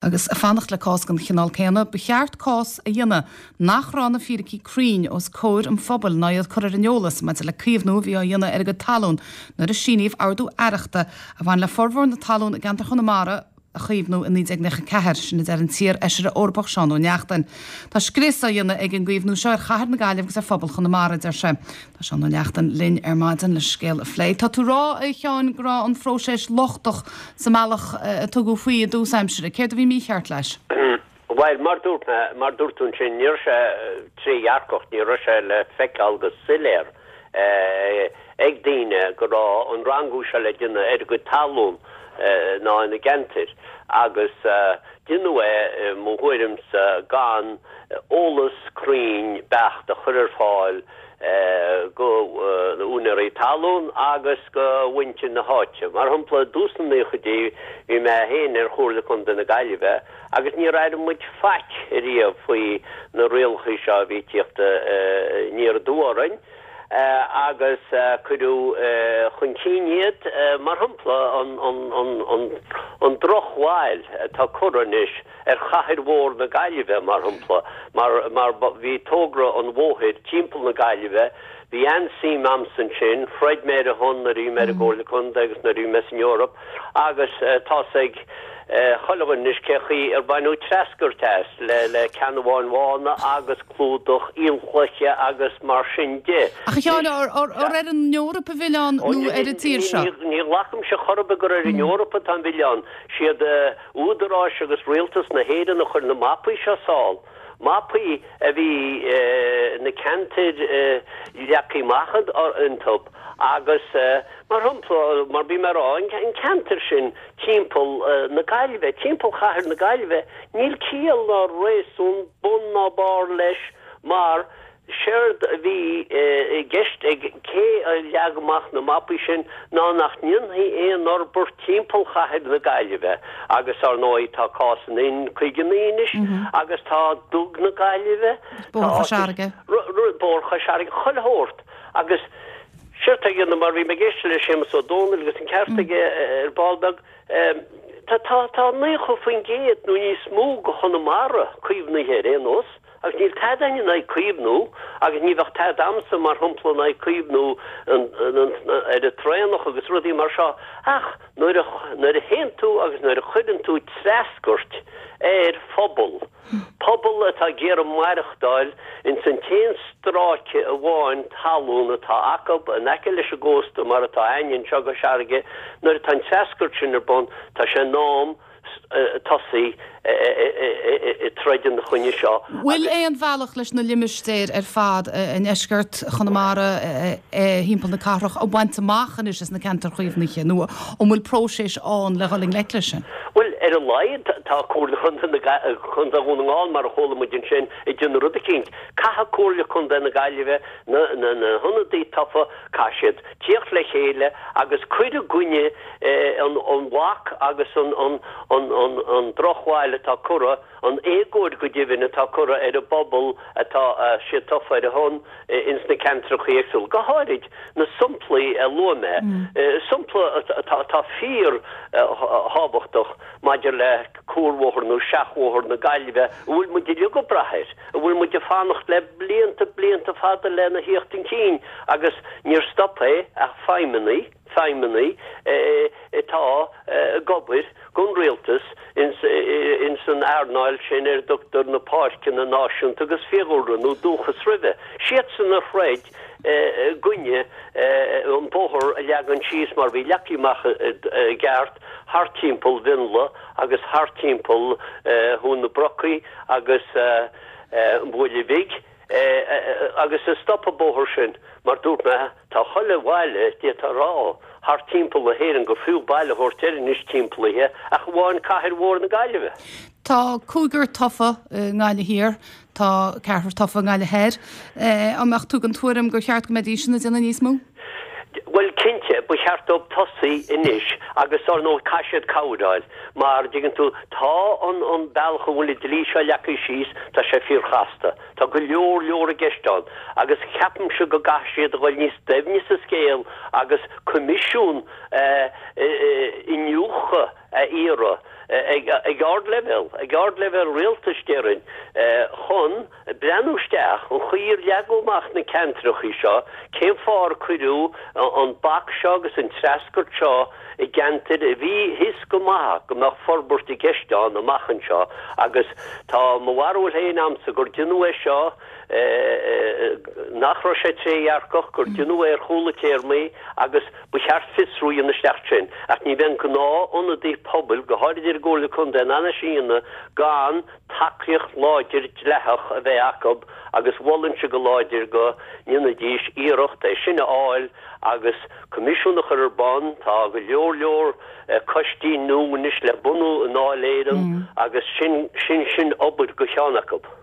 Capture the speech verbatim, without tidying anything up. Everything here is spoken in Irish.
Agus fanacht le cás den chineál céanna, ba cheart cás a dhéanamh nach raibh na fíricí cruinn os comhair an phobail ná iad curtha ar an eolas maidir le caomhnú a bhí á dhéanamh ar a gcuid talún nuair a síníodh ordú aireachta a bhain le formhór na talún i gceantar Chonamara a chaomhnú i naoi déag nócha ceathair, sin a deir an t-iar-fheisire Eorpach Seán Ó Neachtain. Tá scrios á dhéanamh ag an gcaomhnú seo ar chathair na Gaillimhe agus ar phobal Chonamara, deir sé. Tá Seán Ó Neachtain linn ar maidin le scéal a phlé. Tá tú rá, a Sheáin, go raibh an phróiseas lochtach sa mbealach a tugadh faoi i dtús aimsire. Céard a bhí mícheart leis? Bhuel, mar dúirt mé, mar dúirt tú ansin, ní raibh sé trédhearcach, ní raibh sé le feiceáil go soiléir ag daoine go raibh an rangú seo le déanamh ar a gcuid talún ná ina gceantair agus deineadh é, i mo thuairimse, gan eolas cruinn beacht a chur ar fáil go na úinéirí talún agus go mhuintir na háite. Mar shampla, i dtús na naochaidí bhí mé féin ar Chomhairle Contae na Gaillimhe agus níor airigh muid faic ariamh faoi na rialacha seo a bhí ag tíocht aniar aduaidh orainn. agus cuireadh chun cinn iad, mar shampla, an drochbhail atá curtha anois ar chathair mhór na Gaillimhe, mar shampla, mar bhí togra an bhóthair timpeall na Gaillimhe, bhí an-suim a'msa ansin, throid mé ar a shon nuair a bhí mé ar an gComhairle Contae agus nuair a bhí mé san Eoraip agus tá's ag chuile dhuine anois cé chaoi ar baineadh treascairt as le ceannabháin bhána agus clúdach aolchloiche agus mar sin de. Ach a Sheáin, ar ar an Eoraip an milleán nó ar an tír seo? Ní ghlacaimse chor ar bith gur ar an Eoraip atá an milleán. Siad údaráis agus rialtas na hÉireann a chuir na mapaí seo sall. Mapaí a bhí na ceantair leagtha amach iontu agus, mar shampla, mar bhí mé a rá, an ceantar sin timpeall na Gaillimhe, timpeall chathair na Gaillimhe, níl ciall ná réasún bun ná barr leis mar séard a bhí i gceist ag cé a leag amach na mapaí sin ná nach ndéanfaí aon fhorbairt timpeall chathair na Gaillimhe agus, ar ndóigh, tá cás an N caoga naoi anois agus tá Dug na Gaillimhe, tá Bóthar Chois Fharraige. Bóthar Chois Fharraige, chuile shórt agus séard atá á dhéanamh mar bhí mé ag éisteacht le Séamus Ó Dónaill agus an ceart aige ar ball beag, tá tá tá naocha faoin gcéad nó níos mó de Chonamara caomhnaithe ar aon nós. Agus níl tada in aghaidh caomhnú, agus ní bheadh tada a'msa, mar shampla, in aghaidh caomhnú ar an traonach agus rudaí mar seo, ach nuair a, nuair a théann tú agus nuair a chuireann tú treascairt ar phobal, pobal atá ag iarraidh maireachtáil ins an t-aon stráice amháin talún atá acu in aice leis an gcósta mar atá a'ainne anseo i gCois Fharraige, nuair atá an treascairt sin ar bun, tá sé in am tosaí ag troid ina choinne seo. Bhfuil aon bhealach leis na limistéir ar fad i ndeisceart Chonamara thimpeall na cathrach a bhaint amach anois as na ceantair chaomhnaithe nó an bhfuil próiseas ann le dhul i ngleic leis sin? Bhuel, ar a laghad tá Comhairle Chontae na Contae Dhún na nGall, mar a chuala muid ansin, ag déanamh rud eicínt. Caithfidh Comhairle Contae na Gaillimhe, na hionadaithe tofa, caithfidh siad tíocht le chéile agus cur i gcoinne an bhac agus an drochbhail atá curtha, an éagóir go deimhin atá curtha ar an bpobal atá siad tofa ar a shon ins na ceantracha éagsúla, go háirid na samplaí a luaigh mé, sampla atá fíor thábhachtach maidir le cuarbhóthar nó seachbhóthar na Gaillimhe a bhfuil muid uilig ag brath air, a bhfuil muid ag fanacht le blianta, blianta fada lena thíocht chun cinn agus níor stop é ach feidhmeannaigh. feidhmeannaigh atá ag obair don rialtas ins an earnáil sin ar a dtugtar na páirceanna náisiúnta agus fiadhúlra nó dúchas roimhe. Siadsan a throid i gcoinne an bóthar a leagan síos mar bhí leagtha amach i gceart thart timpeall Mhionlaigh agus thart timpeall Thóin na Brocaí agus an Bhuaile Bhig. Agus a stop an bóthar sin, mar dúirt mé, tá chuile bhaile, d'fhéadfá a rá, thart timpeall na hÉireann gur fiú baile a thabhairt air anois timpeallaithe, ach amháin cathair mhór na Gaillimhe. Tá cúigear tofa i nGaillimh Thiar, tá ceathrar tofa i nGaillimh Thoir. An mbeadh tú den tuairim gur cheart go mbeidís ag déanamh níos mó? Bhuel, cinnte, ba cheart dóibh tosaí anois agus, ar ndóigh, caithfidh siad cabhair a fháil mar, dtuigeann tú, tá an an bealach a bhfuil an dlí seo leagtha síos, tá sé fíorchasta. Tá go leor leor i gceist ann agus ceapaimse go gcaithfidh siad a dhul níos doimhne sa scéal agus coimisiún iniúchadh a iarraidh ag ardleibhéal, ag ardleibhéal rialtais déarfainn, chun breathnú isteach an chaoi ar leagadh amach na ceantracha seo, cén fáth ar cuireadh an bac seo agus an treascairt seo i gceantair a bhí thíos go maith go mbeadh forbairt i gceist ann amach anseo agus tá mo bharúil féin a'msa gur deineadh é seo nach raibh sé trédhearcach, gur deineadh é ar chúl an téarmaí agus ba cheart fiosrú a dhéanamh isteach sin. Ach ní bheidh an gnáth-ionadaí pobail, go háirid ar an gComhairle Contae, in ann é sin a dhéanamh gan tacaíocht láidir dleathach a bheith acu agus mholfainnse go láidir go ndéanfaidís iarracht é sin a fháil agus coimisiún a chur ar bun. Tá go leor leor coistí nua anois le bunú i nDáil Éireann agus sin sin sin obair do cheann acu.